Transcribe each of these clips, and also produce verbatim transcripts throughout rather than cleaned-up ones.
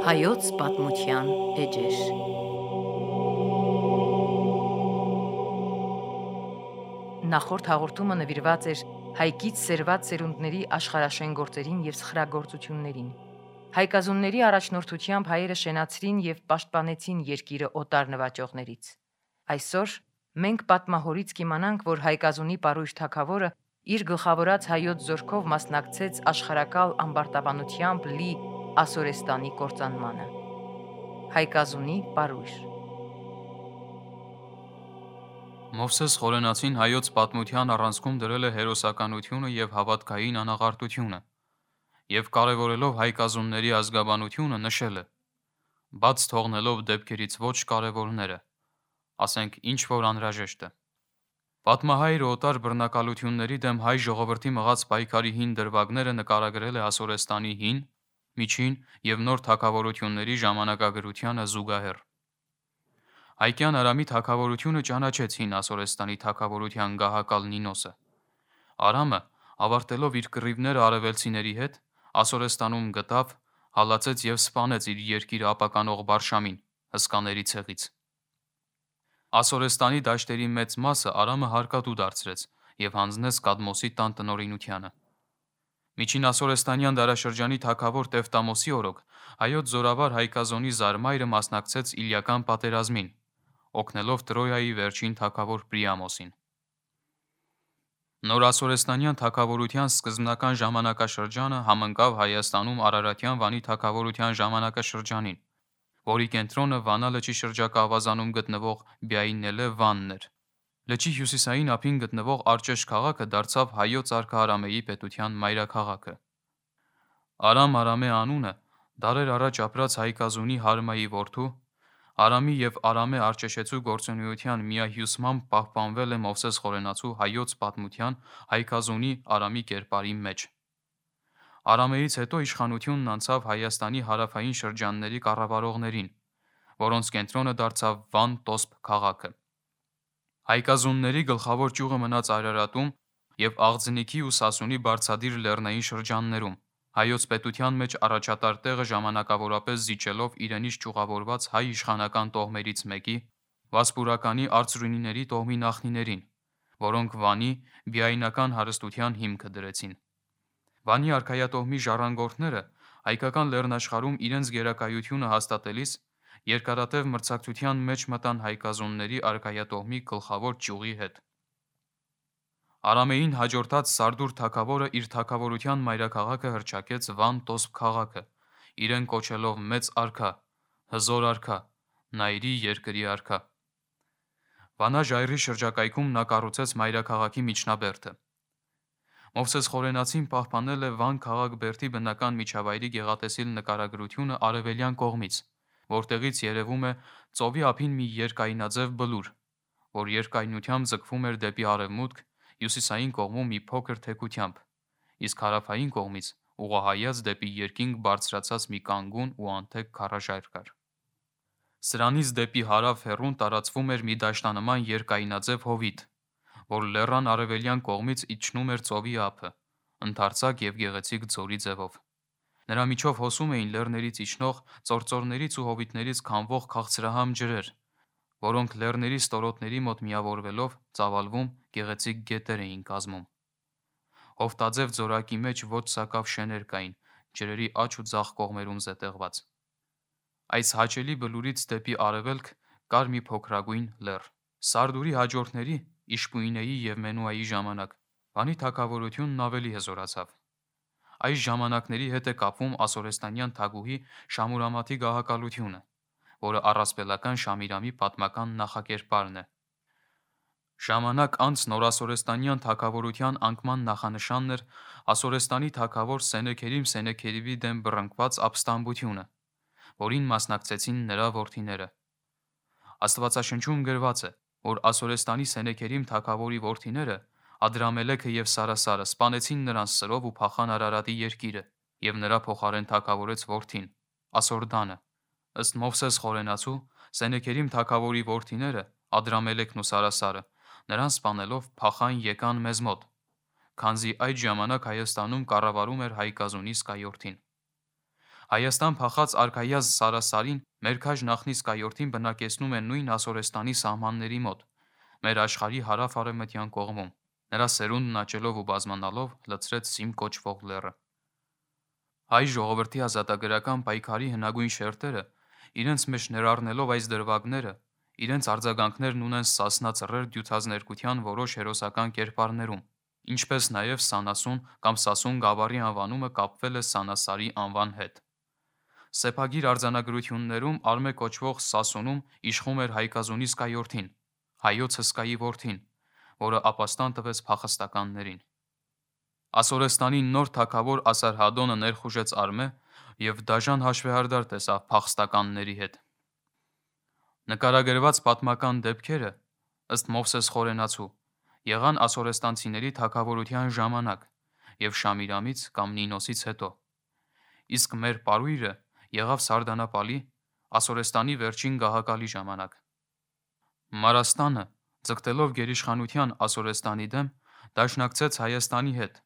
Հայոց պատմության էջեր։ Նախորդ հաղորդումը նվիրված էր հայկից սերված սերունդների աշխարհաշեն գործերին և սխրագործություններին։ Հայկազունների առաջնորդությամբ հայերը շենացրին և պաշտպանեցին երկիրը օտար նվաճողներից։ Այսօր մենք պատմահորից կիմանանք, որ հայկազունի պարույր թագավորը իր գլխավորած հայոց զորքով մասնակցեց աշխարհակալ ամբարտավանությամբ լի Ասորեստանի կործանմանը։ Հայկազունի պարույր։ Մովսես Խորենացին հայոց պատմության առանցքում դրել է հերոսականությունը և հավատքային անաղարտությունը, և կարևորելով հայկազունների ազգաբանությունը նշել է. բաց թողնելով դեպքերից ոչ կարևորները, ասենք ինչ որ անհրաժեշտ է։ Պատմահայրը օտար բռնակալությունների դեմ հայ ժողովրդի մղած պայքարի հին դրվագները նկարագրել է Ասորեստանի հին, միջին և նոր թագավորությունների ժամանակագրությանը զուգահեռ։ Հայկյան Արամի թագավորությունը ճանաչեց հին Ասորեստանի թագավորության գահակալ Նինոսը։ Արամը, ավարտելով իր կռիվները արևելցիների հետ, Ասորեստանում գտավ, հալածեց և սպանեց իր երկիրը ապականող Բարշամին, հսկաների ցեղից։ Ասորեստանի դաշտերի մեծ մասը Արամը հարկատու դարձրեց և հանձնեց Կադմոսի տան տնօրինությանը։ Միջին ասորեստանյան դարաշրջանի թագավոր Տևտամոսի օրոք հայոց զորավար Հայկազոնի զարմայրը մասնակցեց Իլիական պատերազմին, օգնելով Տրոյայի վերջին թագավոր Պրիամոսին։ Նորասորեստանյան թագավորության սկզբնական ժամանակաշրջանը համընկավ Հայաստանում Արարատյան Վանի թագավորության ժամանակաշրջանին, որի կենտրոնը Վանա լճի շրջակա ավազանում գտնվող Բյայնելե Վանն էր։ Լճի հյուսիսային ափին գտնվող Արջեշ քաղաքը դարձավ հայոց արքա Արամեի պետության մայրաքաղաքը։ Արամ Արամե անունը դարեր առաջ ապրած Հայկազունի Հարմայի որդու, Արամի և Արամե Արջեշեցու գործունեության միահյուսմամբ պահպանվել է Մովսես Խորենացու հայոց պատմության Հայկազունի Արամի կերպարի մեջ։ Արամեից հետո իշխանությունն անցավ Հայաստանի հարավային շրջանների կառավարողներին, որոնց կենտրոնը դարձավ Վան-Տոսփ քաղաքը։ Հայկազունների գլխավոր ճյուղը մնաց Արարատում և Աղձնիքի ու Սասունի բարձադիր լեռնային շրջաններում, հայոց պետության մեջ առաջատար տեղը ժամանակավորապես զիջելով իրենից ճյուղավորված հայ իշխանական տոհմերից մեկի՝ վասպուրականի արծրունիների տոհմի նախնիներին, որոնք Վանի բիայնական հարստության հիմքը դրեցին։ Վանի արքայատոհմի ժառանգորդները հայկական լեռնաշխարհում իրենց գերակայությունը հաստատելիս երկարատև մրցակցության մեջ մտան հայկազունների արքայատոհմի գլխավոր ճյուղի հետ։ Արամեին հաջորդած Սարդուր թագավորը իր թագավորության մայրաքաղաքը հռչակեց Վան-Տոսփ քաղաքը, իրեն կոչելով մեծ արքա, հզոր արքա, Նայրի երկրի արքա։ Վանա ժայռի շրջակայքում նա կառուցեց մայրաքաղաքի միջնաբերդը։ Մովսես Խորենացին պահպանել է Վան քաղաք-բերդի բնական միջավայրի գեղատեսիլ նկարագրությունը արևելյան կողմից, որտեղից երևում է ծովի ափին մի երկայնաձև բլուր, որ երկայնությամբ ձգվում էր դեպի արևմուտք, հյուսիսային կողմում մի փոքր թեքությամբ, իսկ հարավային կողմից ուղղահայաց դեպի երկինք բարձրացած մի կանգուն ու անթեք քարաժայռ կար։ Սրանից դեպի հարավ հեռուն տարածվում էր մի դաշտանման երկայնաձև հովիտ, որ լեռան արևելյան կողմից իջնում էր ծովի ափը, ընդարձակ և գեղեցիկ ձորի ձևով։ Նրա միջով հոսում էին լեռներից իջնող, ծործորներից ու հովիտներից քամվող քաղցրահամ ջրեր, որոնք լեռների ստորոտների մոտ միավորվելով ծավալվում գեղեցիկ գետեր էին կազմում։ Հովտաձև ձորակի մեջ ոչ սակավ շեներ կային, ջրերի աջ ու ձախ կողմերում զետեղված։ Այս հաճելի բլուրից դեպի արևելք կար մի փոքրագույն լեռ։ Սարդուրի հաջորդների՝ Իշպույնեի և Մենուայի ժամանակ Վանի թագավորությունն ավելի հզորացավ։ Այս ժամանակների հետ է կապվում ասորեստանյան թագուհի Շամուրամաթի գահակալությունը, որը առասպելական Շամիրամի պատմական նախակերպարն է։ Ժամանակ անց նորասորեստանյան թագավորության անկման նախանշանն էր Ասորեստանի թագավոր Սենեքերիմ Սենեքերիբի դեմ բռնկված ապստամբությունը, որին մասնակցեցին նրա որդիները։ Աստվածաշնչում գրված է, որ Ասորեստանի Սենեքերիմ թագավորի որդիները՝ Ադրամելեքը և Սարասարը, սպանեցին նրան սրով ու փախան Արարատի երկիրը, և նրա փոխարեն թագավորեց որդին՝ Ասորդանը։ Ըստ Մովսես Խորենացու, Սենեքերիմ թագավորի որդիները՝ Ադրամելեքն ու Սարասարը, նրան սպանելով փախան եկան մեզ մոտ, քանզի այդ ժամանակ Հայաստանում կառավարում էր Հայկազունի սկայորդին։ Հայաստան փախած արքայազ Սարասարին մեր քաջ նախնիսկայորդին բնակեցնում է նույն Ասորեստանի սահմանների մոտ, մեր աշխարհի հարավ-արևմտյան կողմում, նրա սերունդն աճելով ու բազմանալով լցրեց Սիմ կոչվող լեռը։ Հայ ժողովրդի ազատագրական պայքարի հնագույն շերտերը, իրենց մեջ ներառնելով այս դրվագները, իրենց արձագանքներն ունեն Սասնա ծռեր դյուցազներկության որոշ հերոսական կերպարներում, ինչպես նաև Սանասուն կամ Սասուն գավառի անվանումը կապվել է Սանասարի անվան հետ։ Սեփագիր արձանագրություններում Արմե կոչվող Սասունում իշխում էր Հայկազունի սկայորդին, հայոց հսկայի որդին, որը ապաստան տվեց փախստականներին։ Ասորեստանի նոր թագավոր Ասարհադոնը ներխուժեց Արմե և դաժան հաշվեհարդար տեսավ փախստականների հետ։ Նկարագրված պատմական դեպքերը, ըստ Մովսես Խորենացու, եղան ասորեստանցիների թագավորության ժամանակ և Շամիրամից կամ Նինոսից հետո, իսկ մեր պարույրը եղավ Սարդանապալի, Ասորեստանի վերջին գահակալի ժամանակ։ Մարաստանը, ձգտելով գերիշխանության Ասորեստանի դեմ, դաշնակցեց Հայաստանի հետ,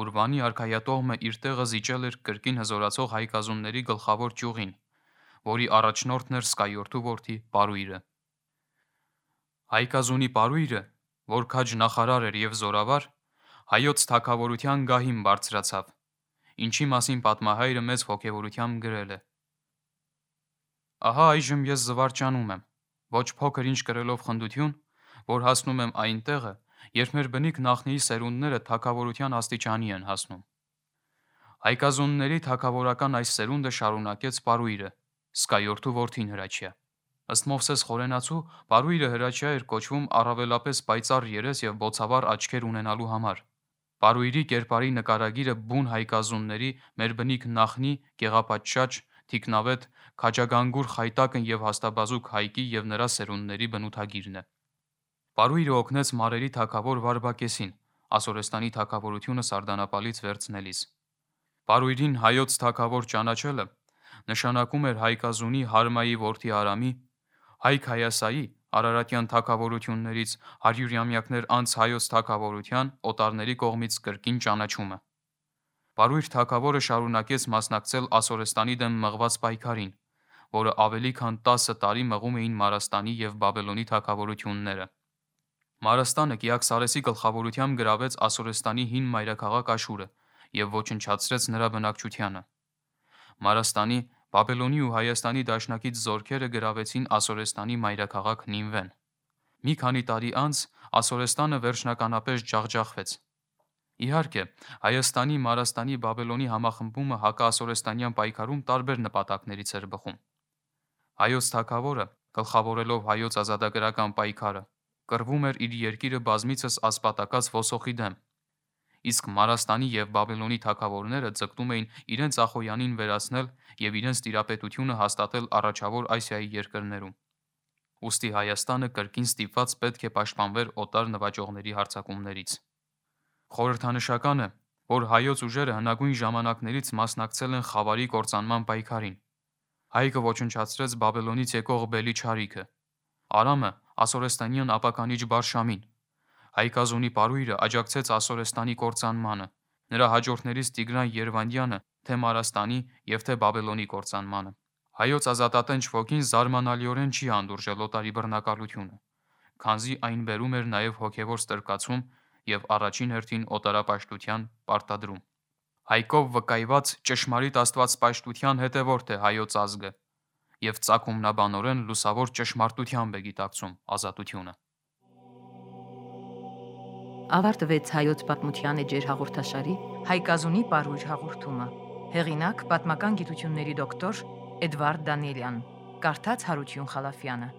ուր Վանի արքայատողմը իր տեղը զիջել էր կրկին հզորացող հայկազունների գլխավոր ճյուղին, որի առաջնորդն էր սկայորդու որդի պարույրը։ Հայկազունի պարույրը, որ քաջ նախարար էր և զորավար, հայոց թագավորության գահին բարձրացավ, ինչի մասին պատմահայրը մեծ ոգևորությամբ գրել է. «Ահա այժմ ես զվարճանում եմ, ոչ փոքր ինչ կրելով խնդություն, որ հասնում եմ այն տեղը, երբ մեր բնիկ նախնիի սերունդները թագավորության աստիճանի են հասնում»։ Հայկազունների թագավորական այս սերունդը շարունակեց պարույրը, սկայորդու որդին Հրաչյա։ Ըստ Մովսես Խորենացու, պարույրը Հրաչյա էր կոչվում առավելապես պայծառ երես և բոցավառ աչքեր ունենալու համար։ Պարույրի կերպարի նկարագիրը բուն հայկազունների, մեր բնիկ նախնի, գեղապատշաճ, թիկնավետ, քաջագանգուր Խայտակն և հաստաբազուկ Հայկի և նրա սերունդների բնութագիրն է։ Պարույրը օգնեց մարերի թագավոր Վարդակեսին, Ասորեստանի թագավորությունը Սարդանապալից վերցնելիս։ Պարույրին հայոց թագավոր ճանաչելը նշանակում էր Հայկազունի Հարմայի որդի Արամի, Հայք Հայասայի Արարատյան թագավորություններից հարյուրամյակներ անց հայոց թագավորության օտարների կողմից կրկին ճանաչումը։ Պարույր թագավորը շարունակեց մասնակցել Ասորեստանի դեմ մղված պայքարին, որը ավելի քան տասը տարի մղում էին Մարաստանի և Բաբելոնի թագավորությունները։ Մարաստանը Կիաքսարեսի գլխավորությամբ գրավեց Ասորեստանի հին մայրաքաղաք Աշուրը և ոչնչացրեց նրա բնակչությանը։ Մարաստանի, Բաբելոնի ու Հայաստանի դաշնակից զորքերը գրավեցին Ասորեստանի մայրաքաղաք Նինվեն։ Մի քանի տարի անց Ասորեստանը վերջնականապես ջախջախվեց։ Իհարկե, Հայաստանի, Մարաստանի, Բաբելոնի համախմբումը հակաասորեստանյան պայքարում տարբեր նպատակներից էր բխում։ Հայոց թագավորը, գլխավորելով հայոց ազատագրական պայքարը, կռվում էր իր երկիրը բազմիցս ասպատակած ոսոխի դեմ, իսկ Մարաստանի և Բաբելոնի թագավորները ձգտում էին իրենց ախոյանին վերացնել և իրենց տիրապետությունը հաստատել առաջավոր Ասիայի երկրներում։ Ուստի Հայաստանը կրկին ստիպված պետք է պաշտպանվեր օտար նվաճողների հարձակումներից։ Խորհրդանշական է, որ հայոց ուժերը հնագույն ժամանակներից մասնակցել են Խավարի կործանման պայքարին։ Հայկը ոչնչացրեց Բաբելոնից եկող Բելիչարիքը, Արամը ասորեստանյան ապականիչ Բարշամին, Հայկազունի պարույրը աջակցեց Ասորեստանի կործանմանը, նրա հաջորդներից Տիգրան Երվանդյանը թե Մարաստանի և թե Բաբելոնի կործանմանը։ Հայոց ազատատենչ ոգին զարմանալիորեն չի հանդուրժել օտարի բռնակալությունը, քանզի այն բերում էր նաև հոգևոր ստրկացում և առաջին հերթին օտարապաշտության պարտադրում։ Հայկով վկայված ճշմարիտ աստվածպաշտության հետևորդ է հայոց ազգը և ծագումնաբանորեն լուսավոր ճշմարտությամբ է գիտակցում ազատությունը։ Ավարտվեց հայոց պատմության էջեր հաղորդաշարի Հայկազունի պարույր հաղորդումը։ Հեղինակ՝ պատմական գիտությունների դոկտոր Էդվարդ Դանիելյան, կարդաց Հարություն Խալափյանը։